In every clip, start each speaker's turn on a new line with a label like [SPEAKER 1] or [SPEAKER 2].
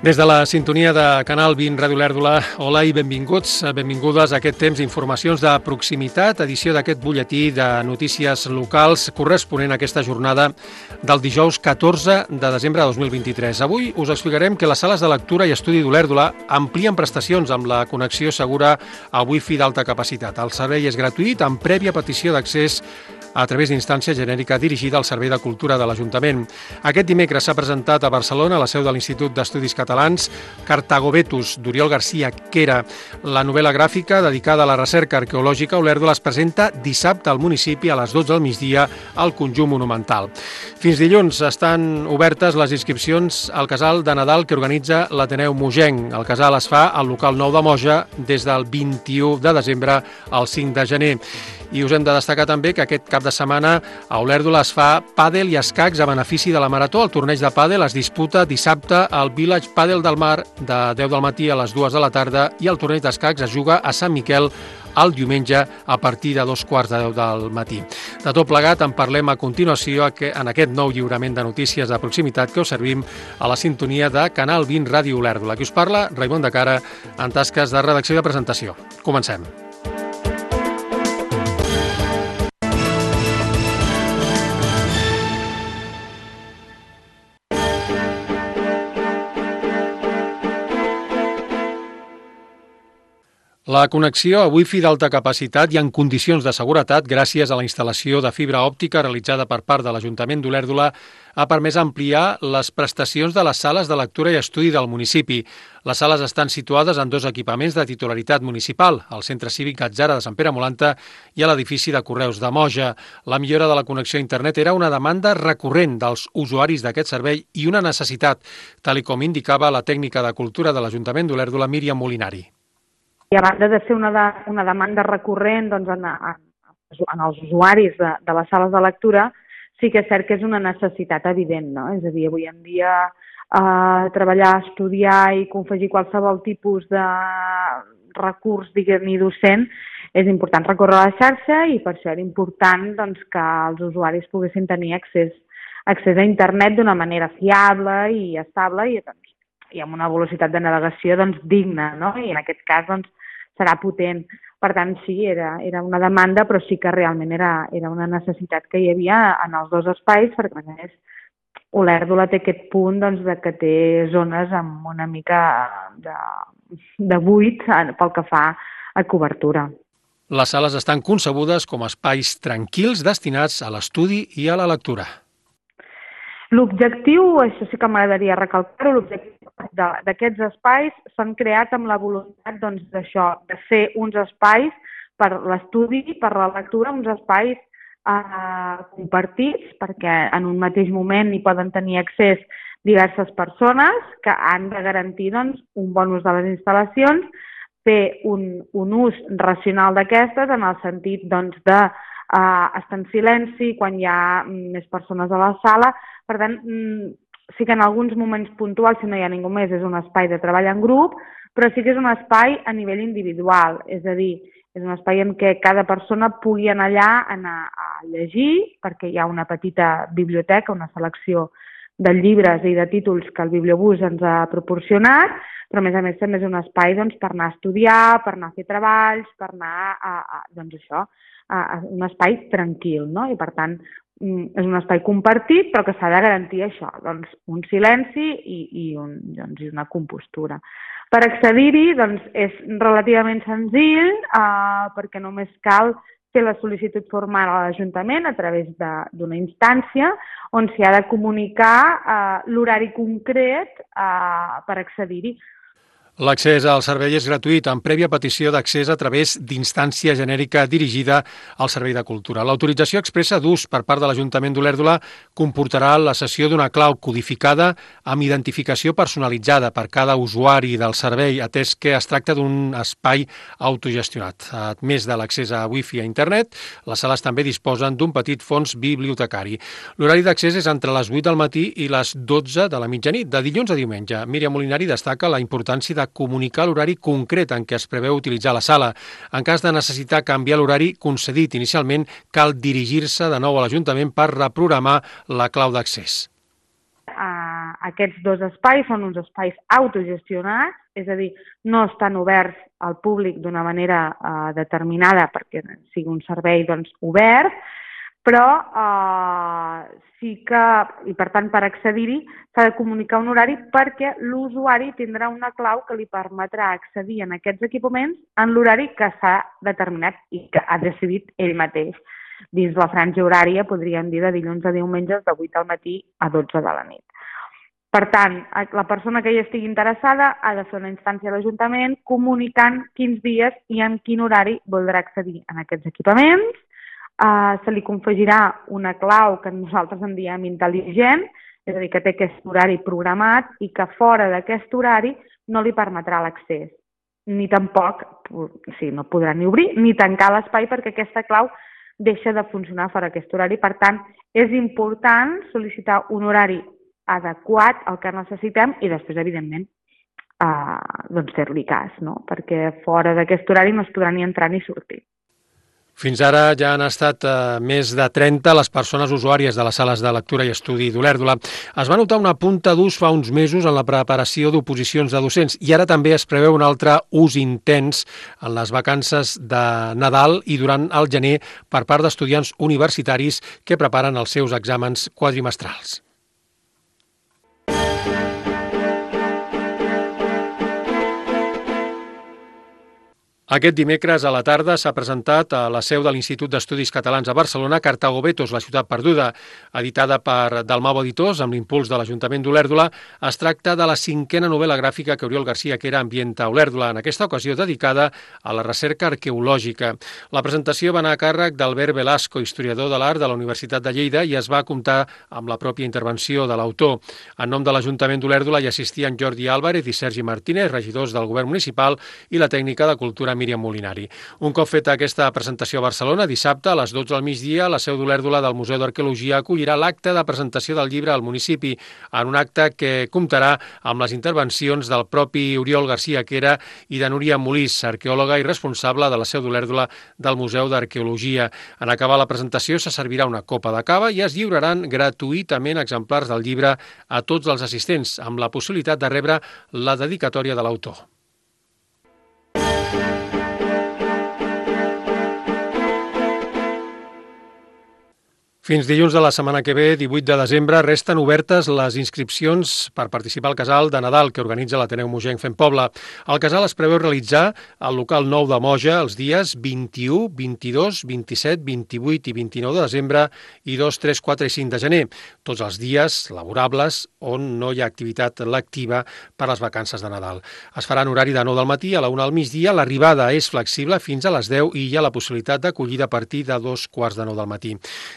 [SPEAKER 1] Des de la sintonia de Canal 20 Ràdio Olèrdola, hola i benvinguts, benvingudes a aquest temps d'informacions de proximitat, edició d'aquest butlletí de notícies locals corresponent a aquesta jornada del dijous 14 de desembre de 2023. Avui us explicarem que les sales de lectura i estudi d'Olèrdola amplien prestacions amb la connexió segura a Wi-Fi d'alta capacitat. El servei és gratuït amb prèvia petició d'accés a través d'instància genèrica dirigida al Servei de Cultura de l'Ajuntament. Aquest dimecres s'ha presentat a Barcelona, a la seu de l'Institut d'Estudis Catalans, Cartagovetus, d'Oriol García Quera. La novel·la gràfica dedicada a la recerca arqueològica a Olèrdola es presenta dissabte al municipi a les 12 del migdia al Conjunt Monumental. Fins dilluns estan obertes les inscripcions al casal de Nadal que organitza l'Ateneu Mogenc. El casal es fa al local 9 de Moja des del 21 de desembre al 5 de gener. I us hem de destacar també que aquest cap de setmana a Olèrdola es fa pàdel i escacs a benefici de la Marató. El torneig de pàdel es disputa dissabte al Village Pàdel del Mar de 10 del matí a les 2 de la tarda i el torneig d'escacs es juga a Sant Miquel el diumenge a partir de 2:15 del matí. De tot plegat en parlem a continuació en aquest nou lliurament de notícies de proximitat que us servim a la sintonia de Canal 20 Ràdio Olèrdola. Aquí us parla Raimon de Cara en tasques de redacció i de presentació. Comencem. La connexió a Wi-Fi d'alta capacitat i en condicions de seguretat gràcies a la instal·lació de fibra òptica realitzada per part de l'Ajuntament d'Olèrdola ha permès ampliar les prestacions de les sales de lectura i estudi del municipi. Les sales estan situades en dos equipaments de titularitat municipal, al Centre Cívic Gatzara de Sant Pere Molanta i a l'edifici de Correus de Moja. La millora de la connexió a internet era una demanda recurrent dels usuaris d'aquest servei i una necessitat, tal com indicava la tècnica de cultura de l'Ajuntament d'Olèrdola, Míriam Molinari.
[SPEAKER 2] I a banda de ser una demanda recurrent doncs, en els usuaris de les sales de lectura, sí que és cert que és una necessitat evident, no? És a dir, avui en dia treballar, estudiar i confegir qualsevol tipus de recurs, diguem-ne, docent, és important recórrer a la xarxa i per això era important doncs, que els usuaris poguessin tenir accés a internet d'una manera fiable i estable i amb una velocitat de navegació doncs, digna, no? I en aquest cas doncs, serà potent. Per tant, sí, era una demanda, però sí que realment era una necessitat que hi havia en els dos espais, perquè a més Olèrdola té aquest punt doncs, que té zones amb una mica de buit pel que fa a cobertura.
[SPEAKER 1] Les sales estan concebudes com a espais tranquils destinats a l'estudi i a la lectura.
[SPEAKER 2] L'objectiu, això sí que m'agradaria recalcar-ho, l'objectiu d'aquests espais s'han creat amb la voluntat doncs, d'això, de ser uns espais per l'estudi, per la lectura, uns espais compartits, perquè en un mateix moment hi poden tenir accés diverses persones que han de garantir doncs, un bon ús de les instal·lacions, fer un ús racional d'aquestes en el sentit doncs, de estar en silenci quan hi ha més persones a la sala. Per tant, sí que en alguns moments puntuals, si no hi ha ningú més, és un espai de treball en grup, però sí que és un espai a nivell individual, és a dir, és un espai en què cada persona pugui anar allà a llegir, perquè hi ha una petita biblioteca, una selecció de llibres i de títols que el Bibliobús ens ha proporcionat, però a més també és un espai doncs, per anar a estudiar, per anar a fer treballs, per anar a un espai tranquil, no? I per tant és un espai compartit però que s'ha de garantir això, doncs, un silenci i una compostura. Per accedir-hi doncs, és relativament senzill perquè només cal fer la sol·licitud formal a l'Ajuntament a través d'una instància on s'hi ha de comunicar l'horari concret per accedir-hi.
[SPEAKER 1] L'accés al servei és gratuït, amb prèvia petició d'accés a través d'instància genèrica dirigida al Servei de Cultura. L'autorització expressa d'ús per part de l'Ajuntament d'Olèrdola comportarà la cessió d'una clau codificada amb identificació personalitzada per cada usuari del servei, atès que es tracta d'un espai autogestionat. A més de l'accés a Wi-Fi a internet, les sales també disposen d'un petit fons bibliotecari. L'horari d'accés és entre les 8 del matí i les 12 de la mitjanit, de dilluns a diumenge. Míriam Molinari destaca la importància de comunicar l'horari concret en què es preveu utilitzar la sala. En cas de necessitar canviar l'horari concedit inicialment, cal dirigir-se de nou a l'Ajuntament per reprogramar la clau d'accés.
[SPEAKER 2] Aquests dos espais són uns espais autogestionats, és a dir, no estan oberts al públic d'una manera determinada perquè sigui un servei obert, però sí que, i per tant per accedir-hi, s'ha de comunicar un horari perquè l'usuari tindrà una clau que li permetrà accedir en aquests equipaments en l'horari que s'ha determinat i que ha decidit ell mateix. Dins la franja horària, podríem dir, de dilluns a diumenges, de 8 al matí a 12 de la nit. Per tant, la persona que hi estigui interessada ha de fer una instància a l'Ajuntament comunicant quins dies i en quin horari voldrà accedir en aquests equipaments. Se li confegirà una clau que nosaltres en diem intel·ligent, és a dir, que té aquest horari programat i que fora d'aquest horari no li permetrà l'accés. Ni tampoc, no podrà ni obrir ni tancar l'espai perquè aquesta clau deixa de funcionar fora d'aquest horari. Per tant, és important sol·licitar un horari adequat al que necessitem i després, evidentment, fer-li cas, no? Perquè fora d'aquest horari no es podrà ni entrar ni sortir.
[SPEAKER 1] Fins ara ja han estat més de 30 les persones usuàries de les sales de lectura i estudi d'Olèrdola. Es va notar una punta d'ús fa uns mesos en la preparació d'oposicions de docents i ara també es preveu un altre ús intens en les vacances de Nadal i durant el gener per part d'estudiants universitaris que preparen els seus exàmens quadrimestrals. Aquest dimecres a la tarda s'ha presentat a la seu de l'Institut d'Estudis Catalans a Barcelona Cartago Betos, la ciutat perduda, editada per Dalmau Editors amb l'impuls de l'Ajuntament d'Olèrdola. Es tracta de la 5a novel·la gràfica que Oriol García Quera ambienta a Olèrdola, en aquesta ocasió dedicada a la recerca arqueològica. La presentació va anar a càrrec d'Albert Velasco, historiador de l'art de la Universitat de Lleida, i es va comptar amb la pròpia intervenció de l'autor. En nom de l'Ajuntament d'Olèrdola hi assistien Jordi Álvarez i Sergi Martínez, regidors del Govern Municipal, i la tècnica de Cultura Míriam Molinari. Un cop feta aquesta presentació a Barcelona, dissabte a les 12 del migdia, la seu d'Olèrdola del Museu d'Arqueologia acollirà l'acte de presentació del llibre al municipi, en un acte que comptarà amb les intervencions del propi Oriol García Quera i de Núria Molís, arqueòloga i responsable de la seu d'Olèrdola del Museu d'Arqueologia. En acabar la presentació se servirà una copa de cava i es lliuraran gratuïtament exemplars del llibre a tots els assistents, amb la possibilitat de rebre la dedicatòria de l'autor. Fins dilluns de la setmana que ve, 18 de desembre, resten obertes les inscripcions per participar al casal de Nadal que organitza l'Ateneu Mogenc Fent Poble. El casal es preveu realitzar al local 9 de Moja els dies 21, 22, 27, 28 i 29 de desembre i 2, 3, 4 i 5 de gener, tots els dies laborables on no hi ha activitat lectiva per les vacances de Nadal. Es farà en horari de 9 del matí a la 1 del migdia, l'arribada és flexible fins a les 10 i hi ha la possibilitat d'acollida a partir de 2:15 del matí.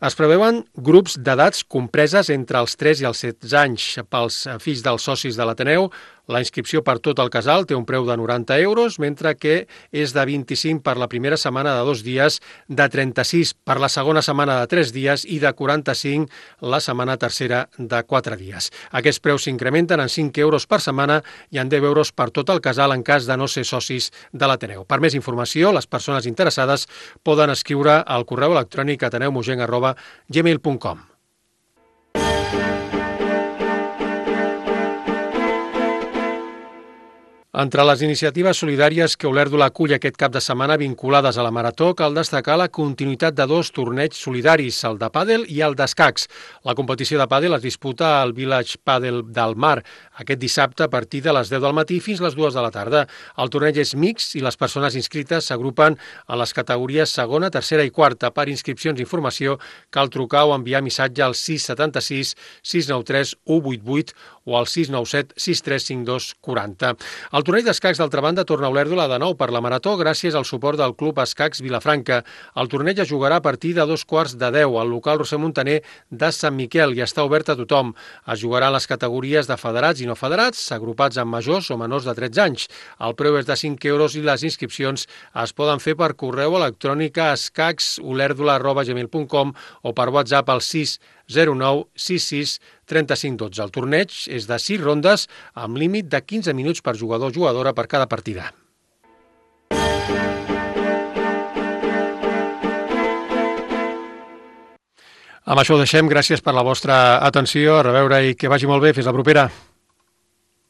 [SPEAKER 1] Es preveuen grups d'edats compreses entre els 3 i els 16 anys pels fills dels socis de l'Ateneu. La inscripció per tot el casal té un preu de 90 euros, mentre que és de 25 per la primera setmana de 2 dies, de 36 per la segona setmana de 3 dies i de 45 la setmana tercera de 4 dies. Aquests preus s'incrementen en 5 euros per setmana i en 10 euros per tot el casal en cas de no ser socis de l'Ateneu. Per més informació, les persones interessades poden escriure al correu electrònic ateneumogenc@gmail.com. Entre les iniciatives solidàries que Olèrdola acull aquest cap de setmana vinculades a la Marató, cal destacar la continuïtat de 2 torneigs solidaris, el de pàdel i el d'escacs. La competició de pàdel es disputa al Village Padel del Mar aquest dissabte a partir de les 10 del matí fins les 2 de la tarda. El torneig és mixt i les persones inscrites s'agrupen en les categories segona, tercera i quarta. Per inscripcions i informació cal trucar o enviar missatge al 676 693 188 o al 697 6352 40. El torneig d'escacs, d'altra banda, torna a Olèrdola de nou per la Marató gràcies al suport del Club Escacs Vilafranca. El torneig es jugarà a partir de 2:15 al local Roser Montaner de Sant Miquel i està obert a tothom. Es jugarà en les categories de federats i no federats, agrupats amb majors o menors de 13 anys. El preu és de 5 euros i les inscripcions es poden fer per correu electrònic a escacsolèrdola@gmail.com o per WhatsApp al 609 66 35 12. El torneig és de 6 rondes amb límit de 15 minuts per jugador o jugadora per cada partida. Amb això ho deixem. Gràcies per la vostra atenció. A reveure i que vagi molt bé. Fins la propera.